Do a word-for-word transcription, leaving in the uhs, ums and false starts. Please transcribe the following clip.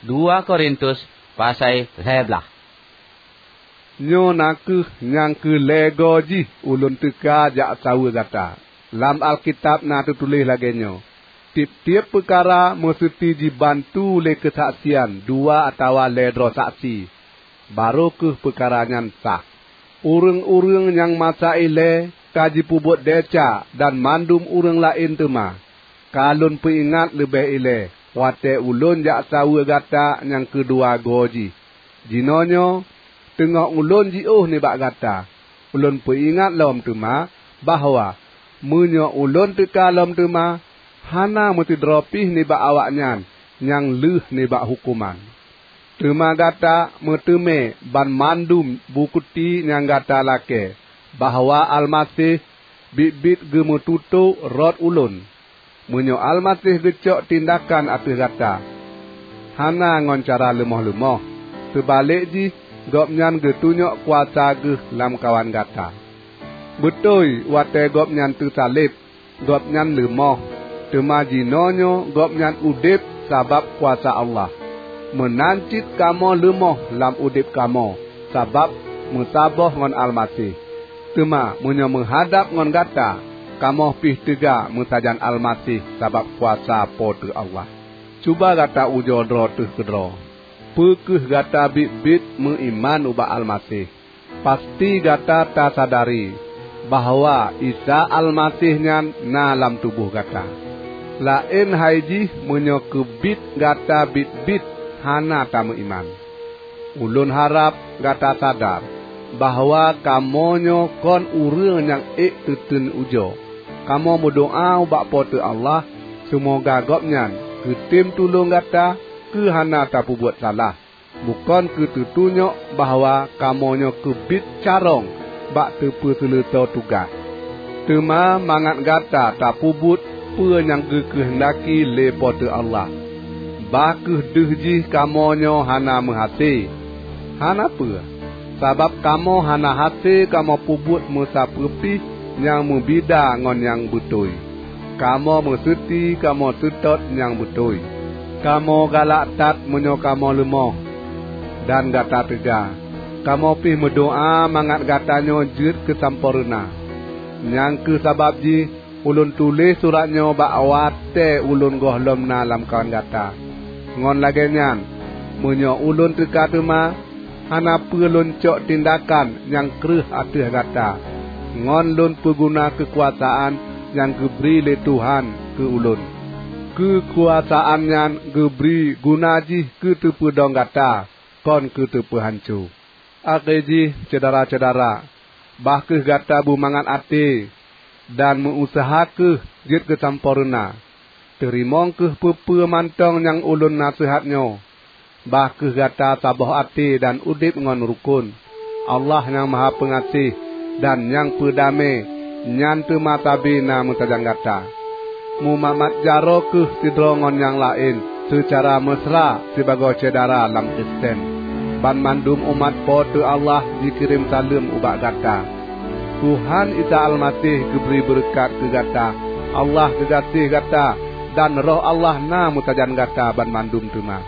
Dua Korintus pasai lhèe blaih. Nyoe na kheueh nyang keu lhèe goe jih ulôn teuka jak saweue gata. Lam Alkitab na teutuléh lagèe nyoe, "Tiep-tiep peukara meuseuti jibantu lé keusaksian dua atawa lhèe droe saksi, barô kheueh peukara nyan sah." Ureuëng-ureuëng nyang masa ilée ka jipeubuet desya dan mandum ureuëng laén teuma, ka lôn peuingat leubeh ilée watée ulôn jak saweue gata nyang keudua goe jih. Jinoenyoe teungoh ulôn jiôh nibak gata, ulôn peuingat lom teuma bahwa meunyoe ulôn teuka lom teuma, hana meusidroe pih nibak awaknyan nyang lheueh nibak huköman. Teuma gata meuteumé banmandum bukeuti nyang gata lakée bahwa Almaseh biet-biet geumeututô rot ulôn. Meunyoe Almaseh geucok tindakan ateueh gata, hana ngon cara leumoh-leumoh, seubalek jih Gobnyan geutunyok kuasa Geuh lamkawan gata. Beutôi, watée Gobnyan teusaleb, Gobnyan leumoh, teuma jinoenyoe Gobnyan udeb sabab kuasa Allah. Meunan cit kamoe leumoh lam udeb kamoe sabab meusaboh ngon Almaseh. Teuma meunyoe meuhadab ngon gata, kamoe pih teuga meusajan Almaseh sabab kuasa Po teu Allah. Cuba gata ujoe droe teuh keudroe. Peu kheueh gata biet-biet meuiman ubak Almaseh? Pasti gata tasadari bahwa Isa Almaseh nyan na lam tuboh gata. Laén hai jih meunyoe keubiet gata biet-biet hana tameuiman. Ulôn harab gata sadar bahwa kamoe nyoe kon ureuëng nyang ék teuteun ujoe. Kamoe meudoá ubak Po teu Allah, seumoga Gobnyan geutem tulông gata keu hana tapeubuet salah. Bukon keu teutunyok bahwa kamoe nyoe keubiet carông bak teupeuseuleusoe tugaih, teuma mangat gata tapeubuet peue nyang geukeuheundaki lé Po teu Allah. Bah kheueh deuh jih kamoe nyoe hana meuhase. Hana peue, sabab kamoe hana hase kamoe peubuet meusapeue pih nyang meubida ngon nyang beutôi. Kamoe meuseuti kamoe seutôt nyang beutôi. Kamoe galak that meunyoe kamoe leumoh. Dan gata teuga, kamoe pih meudoá mangat gata nyoe jeuet keu sampoereuna. Nyang kheueh sabab jih ulôn tuléh surat nyoe bak watée ulôn gohlom na lamkawan gata. Ngon lagée nyan, meunyoe ulôn teuka teuma, hana peue lôn cok tindakan nyang kreueh ateueh gata, ngon lôn peuguna keukuasaan nyang geubri lé Tuhan keu ulôn. Keukuasaan nyan geubri guna jih keu teupeudong gata, kon keu teupeuhanco. Akhé jih, syedara-syedara, bah kheueh gata beumangat até dan meu-useuha kheueh jeuet keu sampoereuna. Teurimong kheueh peue-peue mantong nyang ulôn naseuhat nyoe. Bah kheueh gata saboh até dan udeb ngon rukon. Allah nyang Maha Peungaséh dan nyang Peudamé nyan teuma sabe na meusajan gata. Mumat-mat jaroe kheueh sidroe ngon nyang laén seucara meusra sibagoe syedara lam Kristen. Banmandum umat Po teu Allah jikirém saleuem ubak gata. Tuhan Isa Almaseh geubri beureukat keu gata. Allah geugaséh gata, dan Roh Allah na meusajan gata banmandum teuma.